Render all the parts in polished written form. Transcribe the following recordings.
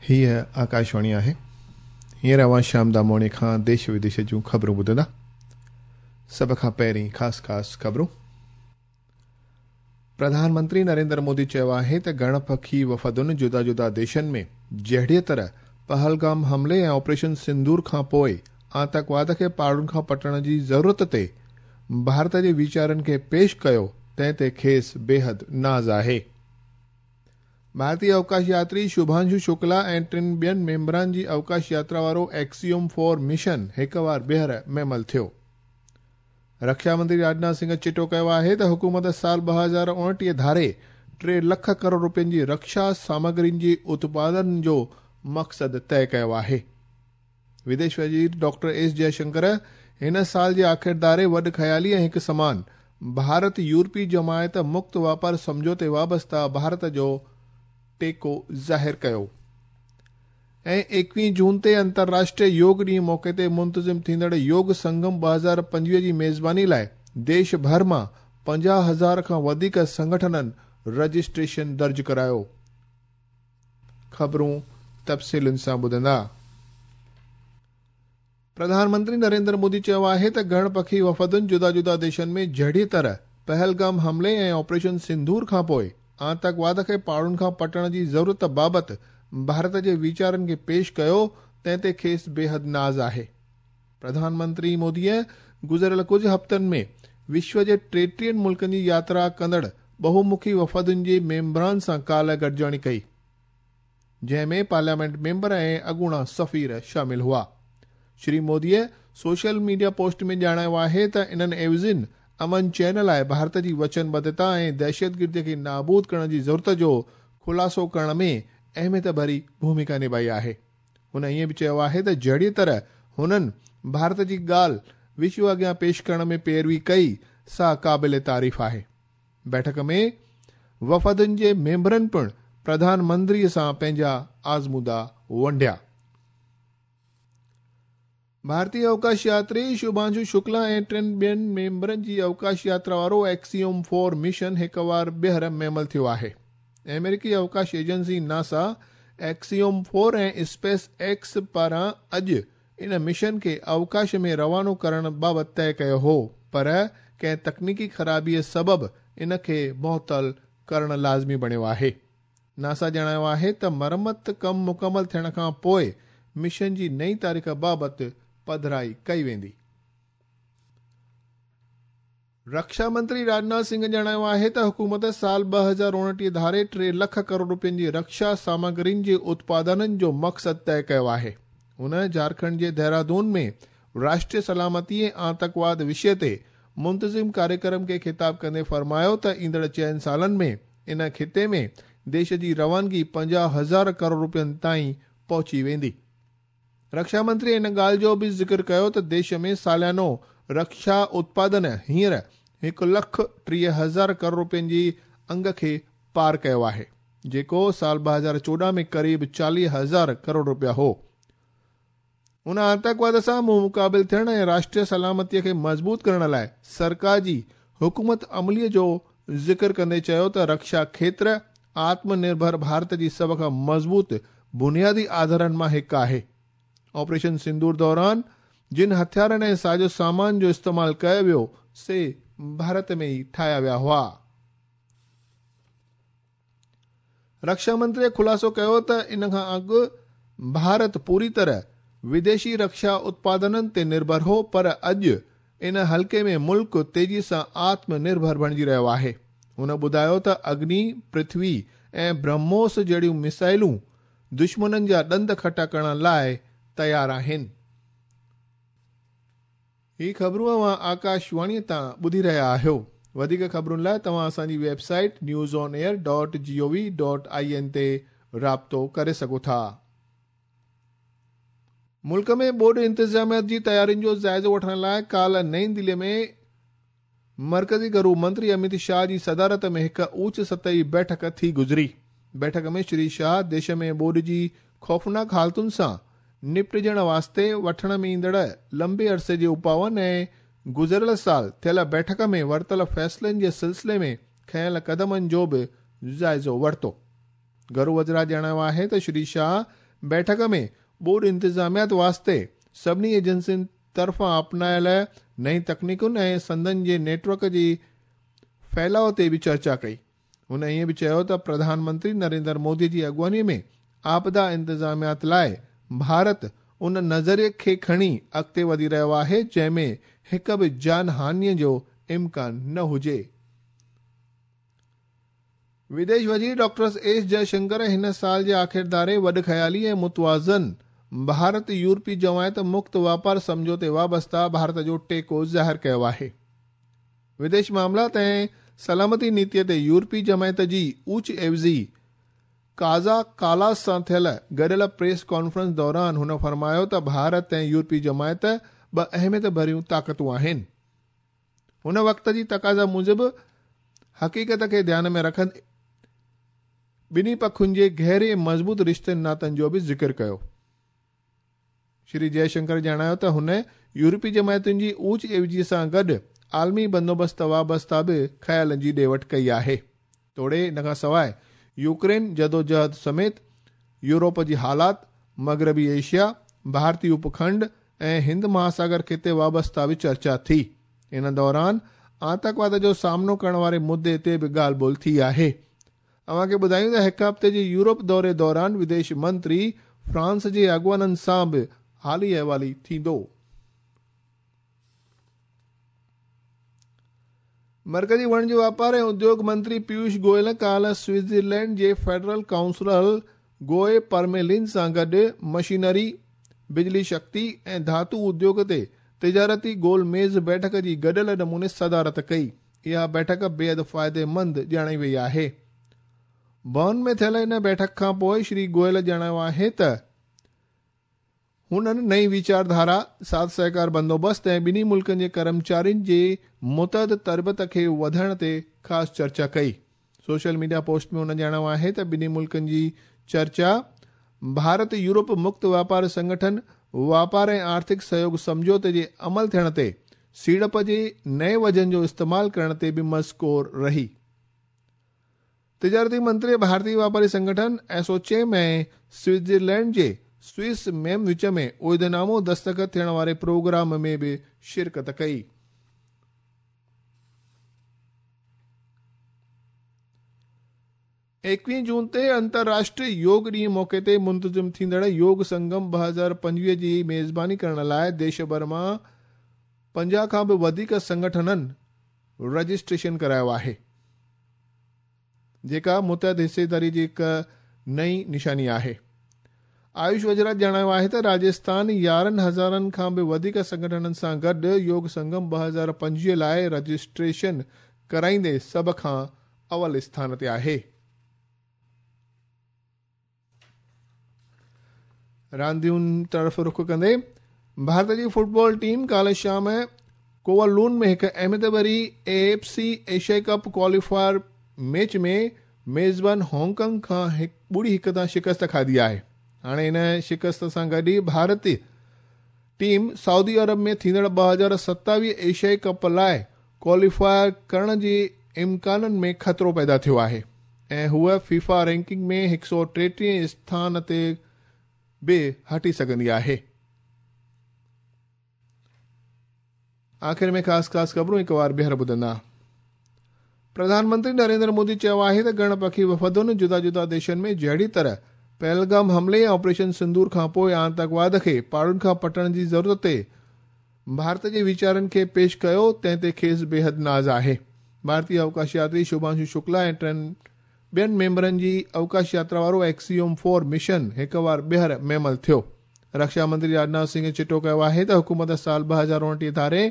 هيء آڪاشواڻي آهي. هينئر اوهان شيام داموڻي کان ديش وديش جون خبرون ٻڌندا. سڀ کان پهرين خاص خاص خبرون. پرڌان منتري نريندر مودي چيو آهي ته گهڻ پکي وفدن جدا جدا ديشن ۾ جهڙيء طرح پهلگام حملي ۽ آپريشن سندور کان پوء آتنڪواد کي پاڙن کان پٽڻ جي ضرورت تي ڀارت جي ويچارن کي پيش ڪيو تنهن تي کيس بيحد ناز آهي. ڀارتي اوڪاش ياتري شڀانشو شڪلا ۽ ٽن ٻين ميمبران جي اوڪاش ياترا وارو ايڪسيوم فور مشن هڪ وار ٻيهر مهمل ٿيو. رڪشا منتري راجناٿ سنگهه چٽو ڪيو آهي ته حڪومت سال 2029 ڌاري 3 لک ڪروڙ روپين جي رڪشا سامگرين جي اتپادن جو مقصد طئي ڪيو آهي. وديش وزير ڊاڪٽر ايس جئه شنڪر هن سال جي آخر ڌاري وڏ خيالي ۽ هڪ سمان ڀارت يورپي جماعت مڪت واپار سمجهوتي وابسته ڀارت جو ٽيڪو ظاهر ڪيو ۽ 21 جون تي انترراشٽريه يوگ ڏينهن موقعي تي منتظم ٿيندڙ يوگ سنگم 2025 جي ميزباني لاء ديش ڀر مان 50,000 کان وڌيڪ سنگٺنن رجسٽريشن درج ڪرايو. خبرون تفصيلن سان ٻڌندا. پرڌان منتري نريندر مودي چيو آهي ته گهڻ پکي وفدن جدا جدا ديشن ۾ جهڙيء طرح پهلگام حملي ۽ آپريشن سنڌور کانپوء آتنڪواد کي پاڙن کان پٽڻ جي ضرورت بابت ڀارت جي ويچارن کي پيش ڪيو تنهن تي کيس بيحد ناز آهي. پرڌان منتري موديء گذريل ڪجهه هفتن ۾ وشو جي 33 ملڪن جي ياترا ڪندڙ ٻهومکي وفدن جي ميمبران سان ڪالهه گڏجاڻي ڪئي، جنهن ۾ پارليامينٽ ميمبر ۽ اڳوڻا سفير شامل هئا. شري موديء سوشل ميڊيا پوسٽ ۾ ڄاڻايو آهي ته انهن عيوضين امن چين لاء ڀارت جي وچنبڌتا ۽ دهشتگردي کي نابود ڪرڻ جي ضرورت جو خلاصو ڪرڻ ۾ اهميت ڀري ڀوميڪا نڀائي آهي. هن ائين به چيو آهي ته جهڙيء طرح هنن ڀارت جي ڳالهه وشو اڳيان پيش ڪرڻ ۾ پيروي ڪئي، سا قابل تعريف آهي. بيٺڪ ۾ وفدن جي ميمبرن پڻ پرڌان منتري سان پنهنجا آزمودا ونڊيا. ڀارتي اوڪاش ياتري شڀانشو شڪلا ۽ ٽن ٻين ميمبرن جي اوڪاش ياترا وارو ايڪسيوم فور مشن هڪ وار ٻيهر مهمل ٿيو آهي. آمريڪي اوڪاش agency NASA Axiom four ۽ space X پاران اڄ ان مشن کي اوڪاش ۾ روانو ڪرڻ بابت طئي ڪيو هو پر ڪنهن تڪنيڪي خرابيء سبب ان کي معطل ڪرڻ لازمي بڻيو آهي. ناسا ڄاڻايو آهي ته مرمت ڪم مڪمل ٿيڻ کان پوء مشن جي نئين تاريخ بابت پڌرائي ڪئي ويندي. رڪشا منتري راجناٿ سنگهه ڄاڻايو آهي ته حڪومت سال 2029 ڌاري 3 لک ڪروڙ روپين جي رڪشا سامگرين جي اتپادنن جو مقصد طئي ڪيو آهي. هن جهارکنڊ جي دهرادون ۾ راشٽريه سلامتي ۽ آتنڪواد وشيه تي منتظم ڪاريڪرم کي خطاب ڪندي فرمايو ته ايندڙ چئن سالن ۾ ان خطي ۾ ديش جي روانگي 50,000 ڪروڙ روپين تائين پهچي ويندي. رڪشا منتري ان ڳالهه جو به ذڪر ڪيو ته ديش ۾ ساليانو رڪشا اتپادن هينئر 1,30,000 ڪروڙ روپين جي انگ کي پار ڪيو آهي، جيڪو سال 2014 ۾ قريب 40,000 ڪروڙ روپيا هو. هن آتنڪواد سان منهن مقابل ٿيڻ ۽ راشٽريه سلامتي کي مضبوط ڪرڻ لاء سرڪار جي حڪمت عملي جو ذڪر ڪندي چيو ته رڪشا کيتر آتم نرڀر ڀارت جي سڀ کان مضبوط بنيادي آڌارن مان هڪ آهي. آپريشن سندور دوران جن هٿيارن ۽ سازو سامان جو استعمال ڪيو ويو سي ڀارت ۾ ئي ٺاهيا ويا هئا. رڪشا منتري خلاصو ڪيو ته ان کان اڳ ڀارت پوري طرح وديشي رڪشا اتپادنن تي نرڀر هو پر اڄ ان حلقي ۾ ملڪ تيزي سان آتم نرڀر بڻجي رهيو آهي. هن ٻڌايو ته اگني، پرٿوي ۽ برهموس جهڙيون ميسائلون دشمنن جا ڏند کٽا ڪرڻ لاء تيار آهن. هي خبرون اوهان آڪاشواڻي تان ٻڌي رهيا آهيو. وڌيڪ خبرن لاء توهان اسان جي web site news on air dot G O V dot I N تي رابطو ڪري سگهو ٿا. ملڪ ۾ ٻوڏ انتظاميا جي تيارين جو جائزو وٺڻ لاء ڪالهه نئين دهلي ۾ مرڪزي گهرو منتري اميت شاهه جي صدارت ۾ هڪ اوچ سطحي بيٺڪ ٿي گذري. بيٺڪ ۾ شري شاهه ديش ۾ ٻوڏ جي خوفناڪ حالتن سان نپٽجڻ واسطي وٺڻ ۾ ايندڙ لنبي عرصي جي اپائن ۽ گذريل سال ٿيل بيٺڪ ۾ ورتل فيصلن جي سلسلي ۾ کنيل قدمن جو به جائزو ورتو. گهرو وزارت ڄاڻايو آهي ته شري شاهه بيٺڪ ۾ ٻوڏ انتظاميات واسطي سڀني ايجنسين طرفان اپنايل نئين تڪنيڪن ۽ سندن جي نيٽ ورڪ جي ڦهلاء تي به چرچا ڪئي. هن ائين به چيو ته پرڌان منتري نريندر مودي جي اڳواڻي ۾ آپدا انتظاميات لاء ڀارت ان نظريي کي کڻي اڳتي وڌي رهيو آهي، جنهن ۾ هڪ به جان هاڃي جو امڪان نه هجي. وديش وزير ڊاڪٽر ايس جئشنڪر هن سال جي آخر ڌاري وڏ خيالي ۽ متوازن ڀارت يورپي جماعت مڪت واپار سمجهوتي وابسته ڀارت جو ٽيڪو ظاهر ڪيو آهي. وديش معاملات ۽ سلامتي نيتي تي يورپي جماعت جي اوچ عيوضي ڪازا ڪالاس سان ٿيل گڏيل پريس ڪانفرنس دوران هن فرمايو ته ڀارت ۽ يورپي جماعت ٻه اهميت ڀريون طاقتون آهن. هن وقت جي تقاضا موجب حقيقت کي ڌيان ۾ رکندي ٻنهي پکن جي گهري ۽ مضبوط رشتن ناتن جو به ذڪر ڪيو. شري جئشنڪر ڄاڻايو ته هن يورپي جماعتن جي اوچ عيوضي سان گڏ عالمي بندوبست وابسته به خيالن جي ڏي وٺ ڪئي آهي. توڙي ان کان سواء يوڪرين جدوجهد سميت يورپ جي حالات، مغربي ايشيا، ڀارتي اپکنڊ ۽ هند مهاساگر خطي وابسته به چرچا ٿي. ان دوران آتنڪواد جو سامنو ڪرڻ واري مدعي تي به ڳالهه ٻولهه ٿي آهي. اوهان کي ٻڌايون ته هڪ هفتي جي يورپ دوري دوران وديش منتري فرانس جي اڳواڻن سان به حالي احوالي ٿيندو. مرڪزي وڻج واپار ۽ اديوگ منتري پيوش گويل ڪالهه سوئٽزرلينڊ جي فيڊرل ڪائونسلر گوئي پرميلن سان گڏ مشينري، بجلي شڪتي ۽ ڌاتو اديوگ تي تجارتي گول ميز بيٺڪ جي گڏيل نموني صدارت ڪئي. اها بيٺڪ بيحد فائديمند ڄاڻائي وئي آهي. برن ۾ ٿيل ان بيٺڪ کان پوء شري گويل ڄاڻايو آهي ته هنن نئين ويچارڌارا، ساٿ سهڪار بندوبست ۽ ٻنهي ملڪن جي ڪرمچارين جي متعدد تربيت کي وڌائڻ تي خاص چرچا ڪئي. سوشل ميڊيا پوسٽ ۾ هن ڄاڻايو آهي ته ٻنهي ملڪن جي چرچا ڀارت يورپ مڪت واپار سنگٺن واپار ۽ آرٿڪ سهيوگ سمجهوتي جي عمل ٿيڻ تي سيڙپ جي نئين وجهن جو استعمال ڪرڻ تي به مذڪور رهي. تجارتي منتري ڀارتي واپاري سنگٺن ايسوچيم ۽ سوئٽزرلينڊ جي سوئس ميم وچ ۾ عهدنامو دستخط ٿيڻ واري پروگرام ۾ به شرڪت ڪئي. ايڪويهه جون تي انترراشٽريه يوگ ڏينهن موقعي تي منتظم ٿيندڙ يوگ سنگم 2025 جي ميزباني ڪرڻ لاء ديش ڀر مان 50 کان به وڌيڪ سنگٺنن رجسٽريشن ڪرايو آهي، جيڪا متحد حصيداري جي هڪ نئين نشاني آهي. آيوش وزارت ڄاڻايو آهي ته راجسٿان 11 هزارن کان به وڌيڪ سنگٺنن سان گڏ يوگ سنگم 2025 لاء رجسٽريشن ڪرائيندي سڀ کان اول اسٿان تي آهي. راندين طرف رخ ڪندي ڀارت جي فٽبال ٽيم ڪالهه شام ڪوالون ۾ هڪ اهميت ڀري اي ايف سي ايشيائي ڪپ ڪواليفائر ميچ ۾ ميزبان هانگ ڪانگ کان 0-1 تان شڪست کاڌي آهي. هاڻي ان شڪست سان گڏ ئي ڀارتي ٽيم سعودي عرب ۾ ٿيندڙ 2027 ايشيائي ڪپ لاء ڪواليفائر ڪرڻ جي امڪانن ۾ خطرو پيدا ٿيو آهي ۽ هوء فيفا رينڪنگ ۾ 133 اسٿان تي به هٽي سگهندي آهي. آخر ۾ خاص خاص خبرون هڪ وار ٻيهر ٻڌندا. پرڌان منتري نريندر مودي چيو آهي ته گهڻ پکي وفدن جدا جدا ديشن ۾ جهڙي طرح پهلگام حملي ۽ آپريشن سندور کانپوء آتنڪواد کي پاڙن کان پٽڻ جي ضرورت تي ڀارت جي ويچارن کي پيش ڪيو تنهن تي کيس بيحد ناز آهي. ڀارتي اوڪاش ياتري شڀانشو شڪلا ۽ ٽن ٻين ميمبرن جي اوڪاش ياترا وارو ايڪسيوم فور مشن هڪ وار ٻيهر ميمل ٿيو. رڪشا منتري راجناٿ سنگهه چٽو ڪيو آهي ته حڪومت سال 2029 ڌاري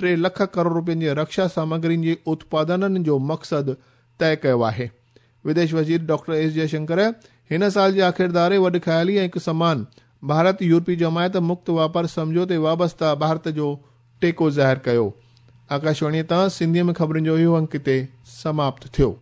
3 لک ڪروڙ روپين جي رڪشا سامگرين جي اتپادنن جو مقصد طئي ڪيو آهي. وديش وزير ڊاڪٽر ايس جئشنڪر هن سال جي آخر ڌاري وڏ خيالي ۽ هڪ سمان ڀارت يورپي جماعت مڪت واپار سمجهوتي وابسته ڀارت جو ٽيڪو ظاهر ڪيو. آڪاشواڻيء تان سنڌيء ۾ خبرن جو اهو انڪ هتي سماپت ٿيو.